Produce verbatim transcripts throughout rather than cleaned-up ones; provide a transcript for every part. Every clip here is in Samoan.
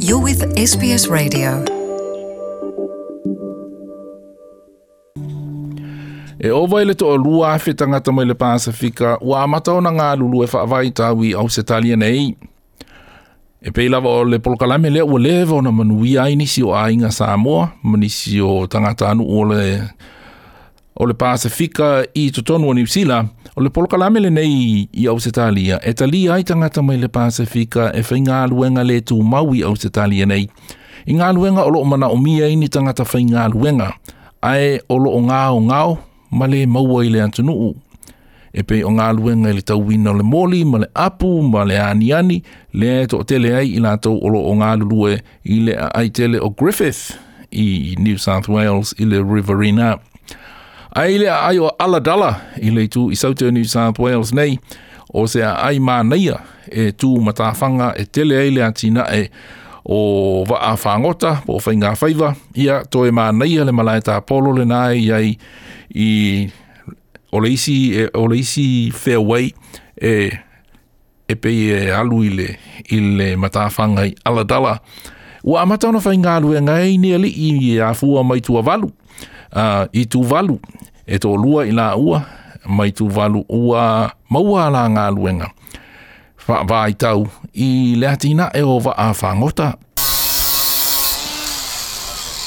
You're with S B S Radio. E ova i le to'alua afe tagata mai le Pasifika ua amata ona galulue faavaitau i Ausetalia nei. E pei lava o le polokalame lea ua leva ona manuia ai nisi o aiga Samoa ma nisi o tagatanuu o le o le Pasifika i totonu o Niu Sila. O le polokalame lenei i Ausetalia e talia ai tagata mai le Pasifika e faigaluega le tumau i Ausetalia nei. I galuega o loo manaomia ai ni tagata faigaluega ae o loo gaogao ma le maua i le atunuu. E pei o galuega i le tauina o le moli ma le apu ma le aniani lea e toatele ai i latou o loo galulue i le aai tele o Griffith i New South Wales i le Riverina. Ae i le aai o Ulladulla i le itu i South New South Wales nei, o se aai manaia e tu matawhanga e tele ai le atinae o vaa whangota po o whainga whaiva, ia toe manaia le malae tāpolo le nai iai i o le isi, e, o le isi fairway e, e pei e alu i le, i le matawhanga i Ulladulla. Ua amata ona whaingaluega ai ni alii i afua mai Tuvalu. Uh, i Tuvalu, e to'alua i la ua, mai Tuvalu ua maua la galuega faavaitau i le atinae o vaa fagota.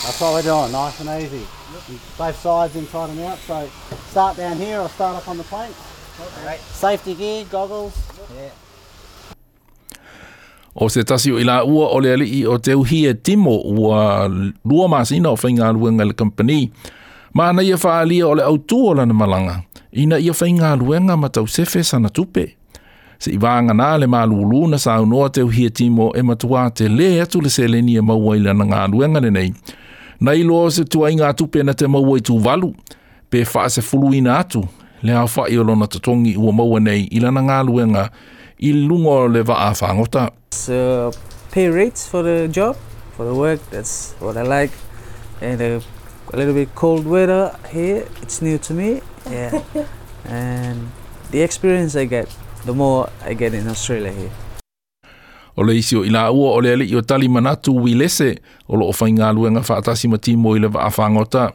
That's what we're doing, nice and easy. Both sides inside and out, so start down here or start up on the planks. Okay. Safety gear, goggles. Yeah. O se tasi o ila ua o le alii o te uhie Timo ua lua masina o whaingaluega le company. Maana ia whaalia o le autu o lana malanga, ina ia whaingaluega ma tausefe sana tupe. Se i vaanga nā le malulu na saunoa te uhie Timo e matua te le atu le seleni e maua i lana ngaluega lenei. Na iloa se tuaiga tupe na te maua i Tuvalu, pe faasefuluina atu le aofai o lona totogi ua maua nei i lana galuega i luga o le vaa fagota. So, pay rates for the job, for the work, that's what I like. And a, a little bit cold weather here, it's new to me. Yeah. And the experience I get, the more I get in Australia here. O le isi o ila ua o le alii o tali manatu Wilese o loo whaingaluega faatasi ma Timo i le vaa fagota.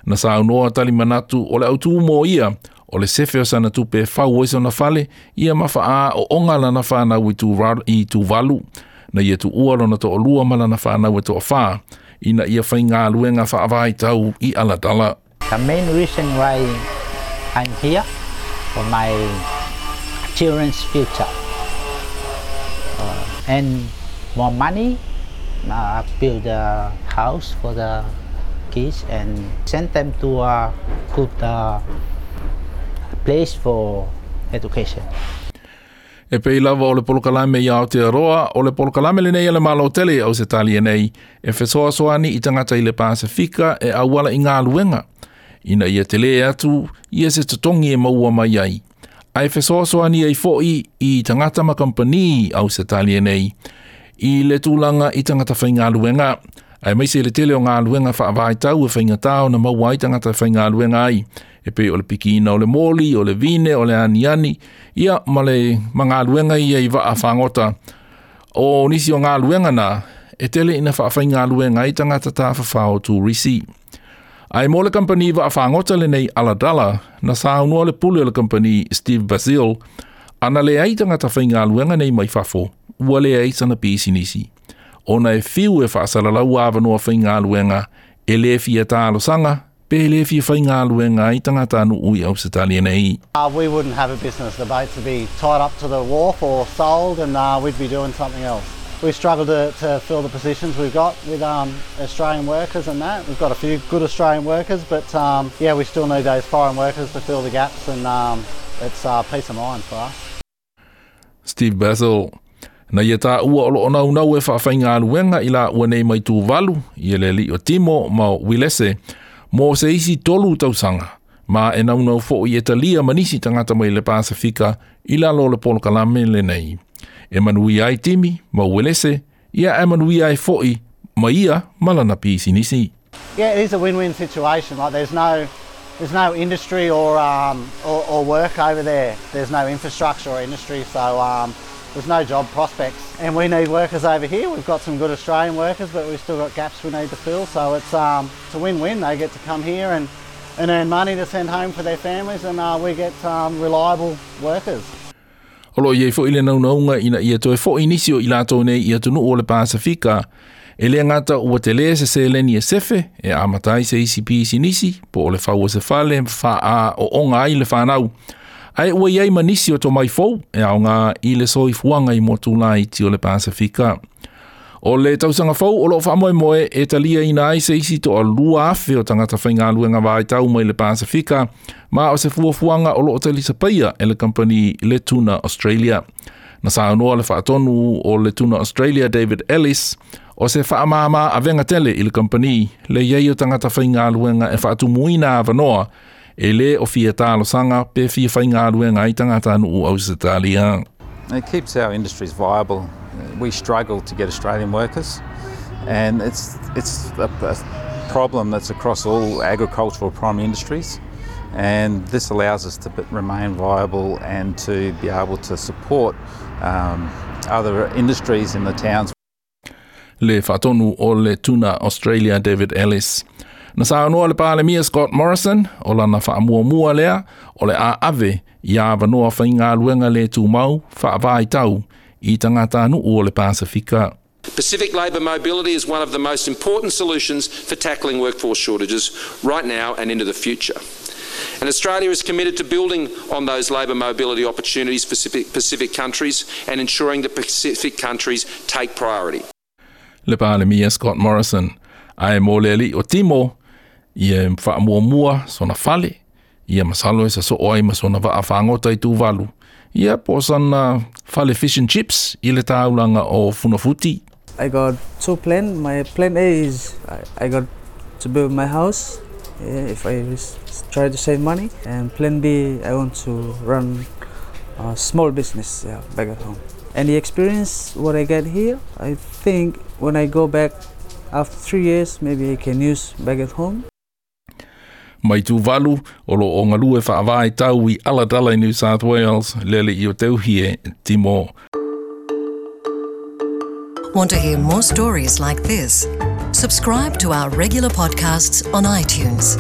Na saunoa tali manatu o le autu mo ia o le sefe o sana tupe fau ai sona fale ia ma faa o onga lana whanau i Tuvalu, i Tuvalu na ia tuua lona to'alua ma lana whanau e to'awhā ina ia whaingaluega faavaitau i Ulladulla. The main reason why I'm here for my children's future. Uh, and more money, uh, build a house for the kids and send them to a good uh, place for education. E pei lava o le polokalame i Aotearoa, o le polokalame lenei a le Malo tele au Ausetalia nei, e fesoasoani i tagata i le Pasifika e auala i galuega, ina ia tele atu ia se totogi e maua mai ai. Ae fesoasoani ai fo'i i tagata ma kampani au Ausetalia nei, i le tulaga i tagata faigaluega, ae maise le tele o galuega faavaitau e faigatā ona maua ai tagata faigaluega ai. E pei o le pikiina o le moli, o le vine, o le aniani, ia ma le magaluega ia i vaa fagota. O nisi o galuega na, e tele ina faafaigaluega ai tagata tafafao o turisi. Ae mo le kampani vaa fagota lenei Ulladulla, na saunoa le pule o le kampani Steve Basil, ana leai tagata faigaluega nei mai fafo, ua leai sana pisinisi. Ona e fiu e faasalalau avanoa faigaluega, e le fia talosaga, pe le fia faigaluega ai tagata nuu i Ausetalia nei. Uh, we wouldn't have a business. The boats would be tied up to the wharf or sold and uh, we'd be doing something else. We struggle to, to fill the positions we've got with um, Australian workers and that. We've got a few good Australian workers, but um, yeah, we still need those foreign workers to fill the gaps and um, it's uh, peace of mind for us. Steve Basil. Na ia tā ua o loo naunau e faafaigaluega i la ua nei mai Tuvalu, i le alii o Timo ma Wilese, mo se isi tolu tausaga, ma e naunau fo'i e talia ma nisi tagata mai le Pasifika i lalo o le polokalame lenei. E manuia ai Timi ma Wilese, ia e manuia ai fo'i ma ia ma lana pisinisi. Yeah, it is a win-win situation. Like there's no there's no industry or, um, or, or work over there. There's no infrastructure or industry, so um, There's no job prospects, and we need workers over here. We've got some good Australian workers, but we've still got gaps we need to fill. So it's um, it's a win-win. They get to come here and, and earn money to send home for their families, and uh, we get um, reliable workers. O lo i fo'i le naunaunga ina ia toe fo'i nisi o i latou nei i atunuu o le Pasifika, e le gata ua telē se seleni e sefe e amata ai se isi pisinisi po o le fau o se fale faaooga ai le fanau. Ae ua i ai ma nisi o tomai fou e aoga i le soifuaga i motu laiti o le Pasifika. O le tausaga fou o loo faamoemoe e taliaina ai se isi toalua afe o tagata faigaluega vaitau mai le Pasifika ma o se fuafuaga o loo talisapaia e le kampani le Tuna Australia. Na saunoa le faatonu o le Tuna Australia David Ellis o se faamāmā avega tele i le kampani le iai o tagata faigaluega e faatumuina avanoa e lē o fia talosaga pe fia faigaluega ai tagatanuu Ausetalia. It keeps our industries viable. We struggle to get Australian workers, and it's it's a, a problem that's across all agricultural primary industries. And this allows us to remain viable and to be able to support um, other industries in the towns. Le faatonu o le Tuna Australia David Ellis. Na saunoa le Palemia Scott Morrison o lana faamuamua lea o le a ave i avanoa faigaluega le tumau faavaitau i tagatanuu o le Pasifika. Pacific labour mobility is one of the most important solutions for tackling workforce shortages right now and into the future. And Australia is committed to building on those labour mobility opportunities for Pacific, Pacific countries and ensuring that Pacific countries take priority. Le Palemia Scott Morrison. Ae mo le alii o Timo, ia faamuamua sona fale, ia masalo e sasoo ai ma sona vaa fagota i Tuvalu. Ia po o sana fale fish and chips i le taulaga o Funafuti. I got two plan. My plan A is I, I got to build my house. Yeah, if I s- try to save money. And plan B, I want to run a small business yeah, back at home. And the experience what I get here, I think when I go back after three years, maybe I can use back at home. Mai Tuvalu o loo galue faavaitau i Ulladulla i New South Wales le alii o Teuhie Timo. Want to hear more stories like this? Subscribe to our regular podcasts on iTunes.